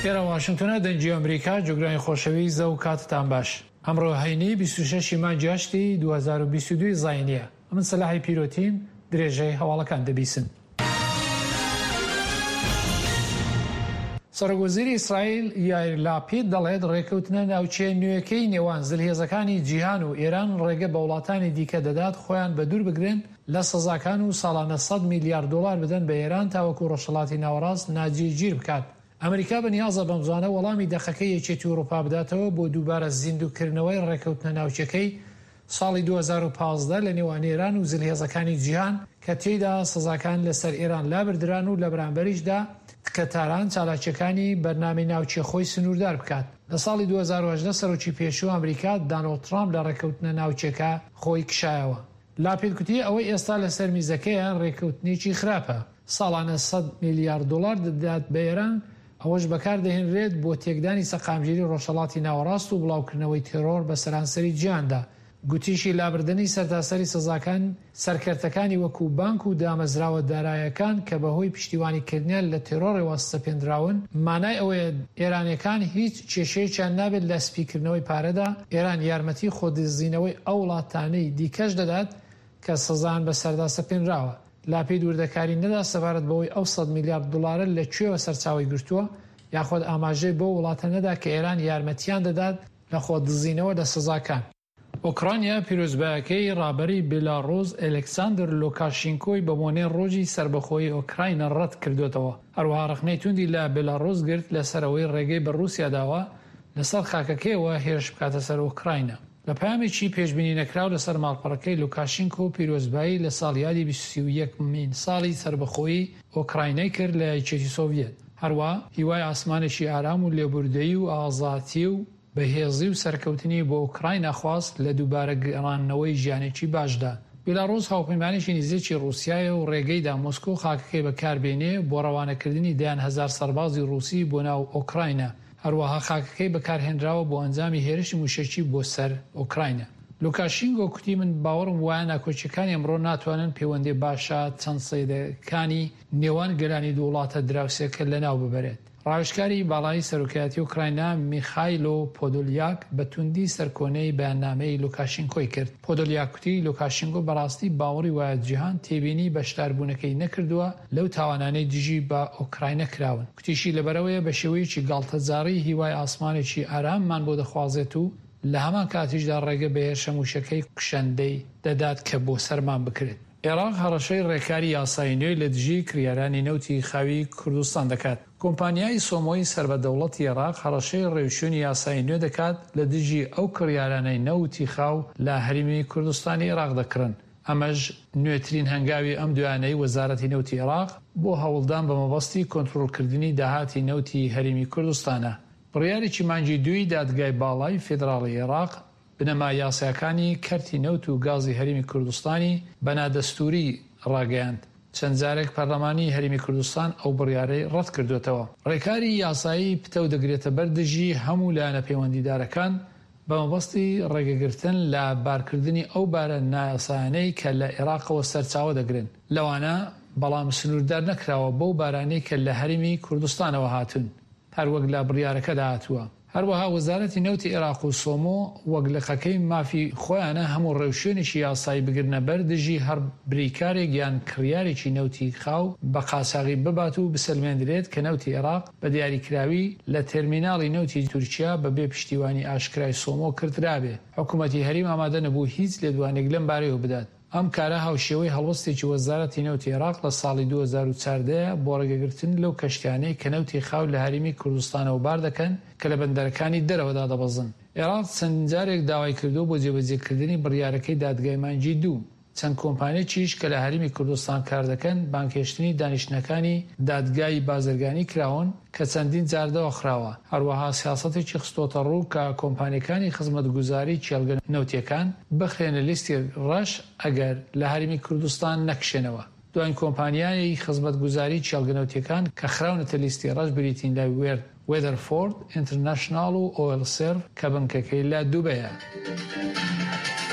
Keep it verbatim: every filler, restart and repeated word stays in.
ئێرە واشنگتۆنە، دەنگی ئەمریکا، جوگرانی خۆشەویست و کاتتان باش. ئەمڕۆ هەینی بیست و شەش ی مانگی هەشتی دوو هەزار و بیست و دوو زاینیە. ئەمن سەلاحی پیرۆتیم، درێژەی هەواڵەکان دەبیسن. سەرۆک وەزیری ئیسرائیل یایر لاپید دەڵێت ڕێکەوتنە ناوچەیە نوێکەی نێوان زلهێزەکانی جیهان و ئێران ڕێگە بە وڵاتانی دیکە دەدات خۆیان بە دوور بگرن لە سزاکان و ساڵانە سەد میلیارد دۆلار بدەن بە ئێران تاوەکو ڕۆژهەڵاتی ناوەڕاست ناجێگیر بکات. ئەمریکا بەنیازە بەمزوانە وەڵامی دەقەکەی یەکێتی ئەوروپا بداتەوە بۆ دووبارە زیندووکردنەوەی ڕێکەوتنە ناوچەکەی ساڵی دوو هەزار و پازدە لە نێوان ئێران و زلهێزەکانی جیهان کە تێیدا سزاکان لەسەر ئێران لابردران و لە بەرامبەریشدا کە تاران چالاکیەکانی بەرنامەی ناوچێ خۆی سنووردار بکات. لە ساڵی دوو هەزار و هەژدە سەرۆکی پێشوو ئەمریکا دانۆڵد ترامپ لە ڕێکەوتنە ناوچەکە خۆی کشایەوە. لاپید گوتی ئەوەی ئێستا لەسەر میزەکەیە ڕێکەوتنێکی خراپە، ساڵانە سەد میلیارد دۆلار دەدات بە ئێران، ئەوەش بەکاردەهێنرێت بۆ تێکدانی سەقامگیری ڕۆژهەڵاتی ناوەڕاست و بڵاوکردنەوەی تێرۆر بە سەرانسەری جیهاندا. گوتیشی لابردنی سەرتاسەری سزاکان سەرکەرتەکانی وەکو بانک و دامەزراوە دارایەکان کە بەهۆی پشتیوانیکردنیان لە تێرۆڕەوە سەپێندراون، مانای ئەوەیە ئێرانیەکان هیچ کێشەیەکیان نابێت لە سپیکردنەوەی پارەدا. ئێران یارمەتی خۆدزینەوەی ئەو وڵاتانەی دیکەش دەدات کە سزان بە سەردا سەپێنراوە. لاپید وردەکاری نەدا سەبارەت بەوەی ئەو سەد میلیارد دلارە لە کوێوە سەرچاوەی گرتووە، یاخود ئاماژەی بۆ وڵاتە نەدا کە ئێران یارمەتیان دەدات لە خۆدزینەوە لە سزاکان. ئۆکرانیا پیرۆزبایەکەی ڕابەری بێلاڕوس ئەلکساندەر لوکاشینکۆی بە بۆنەی ڕۆژی سەربەخۆیی ئۆکراینا ڕەت کردوێتەوە. هەروەها ڕەخنەی توندی لە بێلاڕوس گرت لەسەرەوەی ڕێگەی بە ڕووسیا داوە لەسەر خاکەکەیەوە هێرش بکاتە سەر ئۆکراینا. لە پەیامێکی پێشبینی نەکراو لەسەر ماڵپەڕەکەی لوکاشینکۆ پیرۆزبایی لە ساڵیادی بیست و یەک مین ساڵی سەربەخۆیی ئۆکراینای کرد لە یەکێتی سۆڤیەت. هەروە هیوای ئاسمانێکی ئارام و لێبوردەیی و ئازاتی و بەهێزی و سەرکەوتنی بۆ ئۆکراینا خواست لە دووبارە گەڕانەوەی ژیانێکی باشدا. بیلاڕوس هاوپەیمانێکی نزیکی ڕووسیایە و ڕێگەیدا مۆسکۆ خاکەکەی بەکاربێنێ بۆ ڕەوانەکردنی دەیان هەزار سەربازی ڕووسی بۆ ناو ئۆکراینا. هەروەها خاکەکەی بەکارهێنراوە بۆ ئەنجامی هێرشی موشەکی بۆ سەر ئۆکراینا. لوکاشینگۆ کوتی من باوەڕم وایە ناکۆکیەکانی ئەمڕۆ ناتوانن پەیوەندی باشە چەند سەدەکانی نێوان گەلانی دوو وڵاتە دراوسێکە لەناو ببرێت. ڕاوێژکاری باڵای سەرۆکایەتی ئۆکراینا میخایلۆ پۆدۆلیاک بە توندی سەرکۆنەی بەیاننامەی لوکاشینکۆی کرد. پۆدۆلیاک کوتی لوکاشینکۆ بەڕاستی باوەڕی وایە جیهان تێبینی بەشداربوونەکەی نەکردووە لەو تاوانانەی دژی بە ئۆکراینا کراون. کوتیشی لەبەرەوەیە بە شێوەیەکی گاڵتەجاڕی هیوای ئاسمانێکی ئاراممان بۆ دەخوازێت و لە هەمان کاتیشدا ڕێگە بە هێرشە موشەکەی کوشەندەی دەدات کە بۆ سەرمان بکرێت. عێراق هەڕەشەی ڕێکاری یاسایی نوێی لە دژی کڕیارانی نەوتی خاوی کوردستان دەکات. کۆمپانیای سۆمۆی سەر بە دەوڵەتی عێراق هەڕەشەی ڕێوشوێنی یاسایی نوێ دەکات لە دژی ئەو کڕیارانەی نەوتی خاو لە هەرێمی کوردستانی عێراق دەکڕن. ئەمەش نوێترین هەنگاوی ئەم دوایانەی وەزارەتی نەوتی عێراق بۆ هەوڵدان بە مەبەستی کۆنترۆڵکردنی داهاتی نەوتی هەرێمی کوردستانە. بڕیارێکی مانگی دووی دادگای باڵای فیدراڵی عێراق بنەما یاساکانی کەرتی نەوت و گازی هەرێمی کوردستانی بە نادەستووری ڕاگەیاند. چەند جارێک پەرلەمانی هەرێمی کوردستان ئەو بڕیارەی ڕەت کردوێتەوە. ڕێکاری یاسایی پتەو دەگرێتە بەر دژی هەموو لایەنە پەیوەندیدارەکان بە مەبەستی ڕێگەگرتن لە بارکردنی ئەو بارە نایاسایانەی کە لە عێراقەوە سەرچاوە دەگرن، لەوانە بەڵام سنووردار نەکراوە بەو بارانەی کە لە هەرێمی کوردستانەوە هاتوون، هەروەک لە بڕیارەکەدا هاتووە. هەروەها وەزارەتی نەوتی عێراق و سۆمۆ وەک لقەکەی مافی خۆیانە هەموو ڕێوشوێنێکی یاسایی بگرنە بەر دژی هەر بریکارێک یان کڕیارێکی نەوتی خاو بە قاچاغی ببات و بسەلمێندرێت کە نەوتی عێراق بە دیاریکراوی لە تەرمیناڵی نەوتی تورکیا بەبێ پشتیوانی ئاشکرای سۆمۆ کردرابێ. حکوومەتی هەرێم ئامادە نەبوو هیچ لێدوانێک لەم بارەیەوە بدات. ئەم کارە هاوشێوەی هەڵوەستێکی وەزارەتی نەوتی عێراق لە ساڵی دوو هەزار و چواردە بۆ ڕێگەگرتن لەو کەشتیانەی کە نەوتی خاو لە هەرێمی کوردستانەوە بار دەکەن کە لە بەندەرەکانی دەرەوەدا دەبەزن. عێراق چەند جارێک داوای کردووە بۆ جێبەجێکردنی بڕیارەکەی دادگای مانگی دوو. چەند کۆمپانیەکیش کە لە هەرێمی کوردستان کار دەکەن بانگهێشتنی دانیشتنەکانی دادگای بازرگانی کراون کە چەندین جار داخراوە. هەروەها سیاسەتێکی خستۆتە ڕوو کە کۆمپانیەکانی خزمەتگوزاری کێڵگە نەوتیەکان بخرێنە لیستی ڕەش ئەگەر لە هەرێمی کوردستان نەکشێنەوە. دوایین کۆمپانیای خزمەتگوزاری کێڵگە نەوتیەکان کە خراونەتە لیستی ڕەش بریتین لە وێدەرفۆرد ئینتەرناشناڵ و ئۆیل سێرڤ کە بنکەکەی لە دوبەیە.